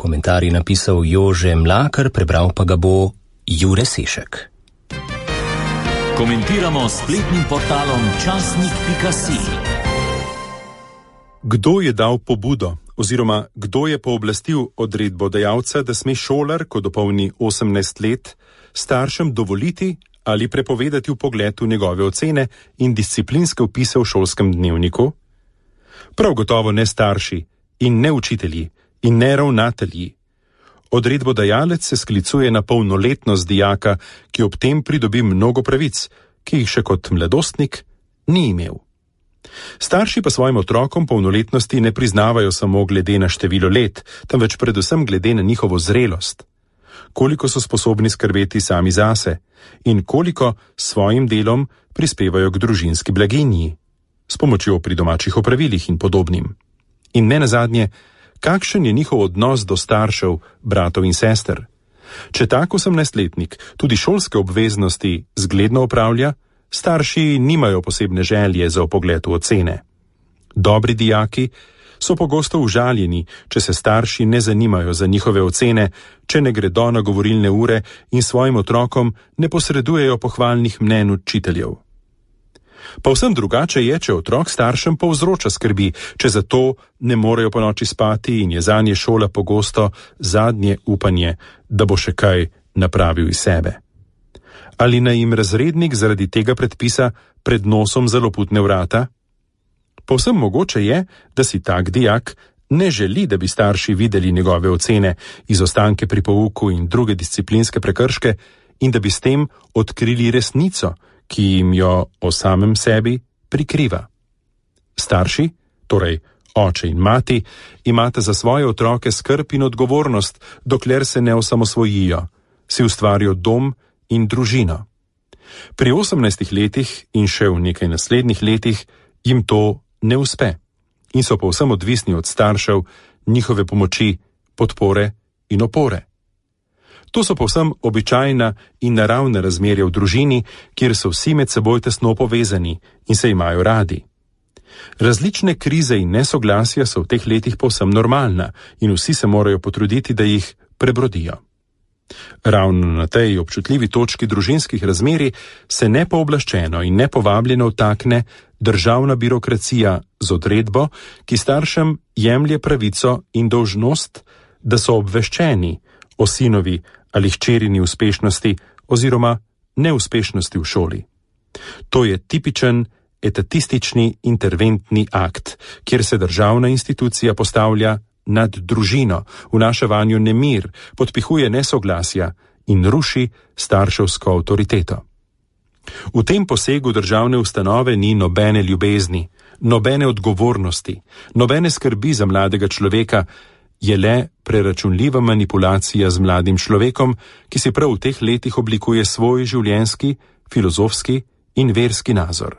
komentar je napisal Jože Mlakar, prebral pa ga bo Jure Sešek. Komentiramo s spletnim portalom časnik.si. Kdo je dal pobudo oziroma kdo je pooblastil odredbodajalca, da sme šolar, ko dopolni 18 let, staršem dovoliti ali prepovedati vpogled v njegove ocene in disciplinske vpise v šolskem dnevniku? Prav gotovo ne starši in ne učitelji in ne ravnatelji. Odredbodajalec se sklicuje na polnoletnost dijaka, ki ob tem pridobi mnogo pravic, ki jih še kot mladostnik ni imel. Starši pa svojim otrokom polnoletnosti ne priznavajo samo glede na število let, temveč predvsem glede na njihovo zrelost. Koliko so sposobni skrbeti sami zase in koliko s svojim delom prispevajo k družinski blaginji, s pomočjo pri domačih opravilih in podobnim. In ne nazadnje, kakšen je njihov odnos do staršev, bratov in sester? Če tak 18-letnik tudi šolske obveznosti zgledno opravlja, starši nimajo posebne želje za vpogled v ocene. Dobri dijaki so pogosto užaljeni, če se starši ne zanimajo za njihove ocene, če ne gredo na govorilne ure in svojim otrokom ne posredujejo pohvalnih mnenj učiteljev. Povsem drugače je, če otrok staršem povzroča skrbi, če zato ne morejo ponoči spati in je zanje šola pogosto zadnje upanje, da bo še kaj napravil iz sebe. Ali naj jim razrednik zaradi tega predpisa pred nosom zaloputne vrata? Povsem mogoče je, da si tak dijak ne želi, da bi starši videli njegove ocene, izostanke pri pouku in druge disciplinske prekrške in da bi s tem odkrili resnico, ki jim jo o samem sebi prikriva. Starši, torej oče in mati, imate za svoje otroke skrb in odgovornost, dokler se ne osamosvojijo, si ustvarijo dom in družino. Pri 18 letih in še v nekaj naslednjih letih jim to ne uspe in so povsem odvisni od staršev, njihove pomoči, podpore in opore. To so povsem običajna in naravna razmerja v družini, kjer so vsi med seboj tesno povezani in se imajo radi. Različne krize in nesoglasja so v teh letih povsem normalna in vsi se morajo potruditi, da jih prebrodijo. Ravno na tej občutljivi točki družinskih razmerij se nepooblaščeno in nepovabljeno vtakne državna birokracija z odredbo, ki staršem jemlje pravico in dolžnost, da so obveščeni o sinovi ali hčerini uspešnosti oziroma neuspešnosti v šoli. To je tipičen etatistični interventni akt, kjer se državna institucija postavlja nad družino, vnaša vanjo nemir, podpihuje nesoglasja in ruši starševsko avtoriteto. V tem posegu državne ustanove ni nobene ljubezni, nobene odgovornosti, nobene skrbi za mladega človeka, je le preračunljiva manipulacija z mladim človekom, ki si prav v teh letih oblikuje svoj življenjski, filozofski in verski nazor.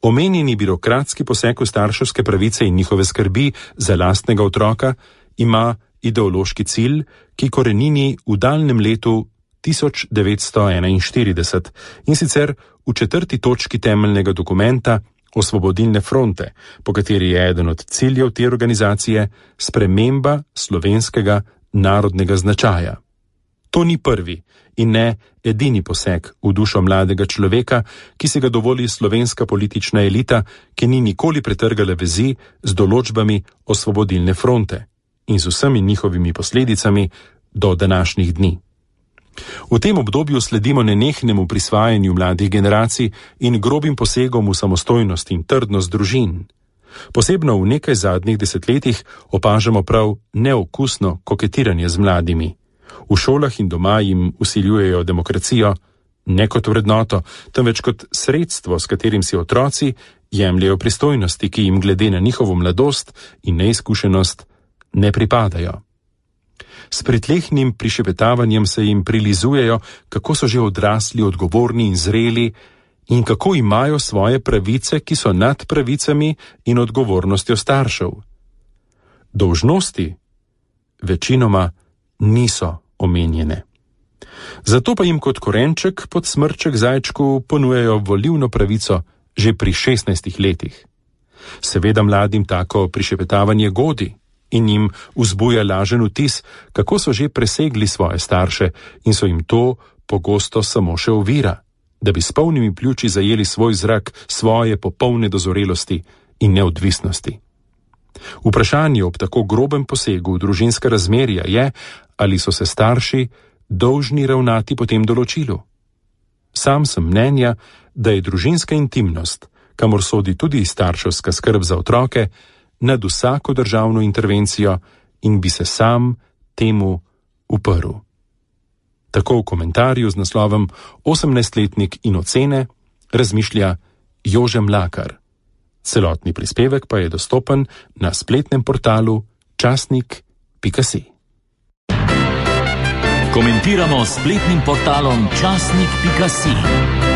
Omenjeni birokratski poseg v starševske pravice in njihove skrbi za lastnega otroka ima ideološki cilj, ki korenini v daljnem letu 1941 in sicer v 4. točki temeljnega dokumenta Osvobodilne fronte, po kateri je eden od ciljev te organizacije sprememba slovenskega narodnega značaja. To ni prvi in ne edini poseg v dušo mladega človeka, ki se ga dovoli slovenska politična elita, ki ni nikoli pretrgala vezi z določbami Osvobodilne fronte in z vsemi njihovimi posledicami do današnjih dni. V tem obdobju sledimo nenehnemu prisvajanju mladih generacij in grobim posegom v samostojnost in trdnost družin. Posebno v nekaj zadnjih desetletjih opažamo prav neokusno koketiranje z mladimi. V šolah in doma jim vsiljujejo demokracijo, ne kot vrednoto, temveč kot sredstvo, s katerim si otroci jemljejo pristojnosti, ki jim glede na njihovo mladost in neizkušenost ne pripadajo. S pritlehnim prišepetavanjem se jim prilizujejo, kako so že odrasli, odgovorni in zreli in kako imajo svoje pravice, ki so nad pravicami in odgovornostjo staršev. Dolžnosti večinoma niso omenjene. Zato pa jim kot korenček pod smrček zajčku ponujajo volilno pravico že pri 16 letih. Seveda mladim tako prišepetavanje godi. in jim vzbuja lažen vtis, kako so že presegli svoje starše in so jim to pogosto samo še ovira, da bi s polnimi pljuči zajeli svoj zrak svoje popolne dozorelosti in neodvisnosti. Vprašanje ob tako grobem posegu v družinska razmerja je, ali so se starši dolžni ravnati po tem določilu. Sam sem mnenja, da je družinska intimnost, kamor sodi tudi starševska skrb za otroke, nad vsako državno intervencijo in bi se sam temu uprl. Tako v komentarju z naslovom 18-letnik in ocene razmišlja Jože Mlakar. Celotni prispevek pa je dostopen na spletnem portalu časnik.si. Komentiramo s spletnim portalom časnik.si.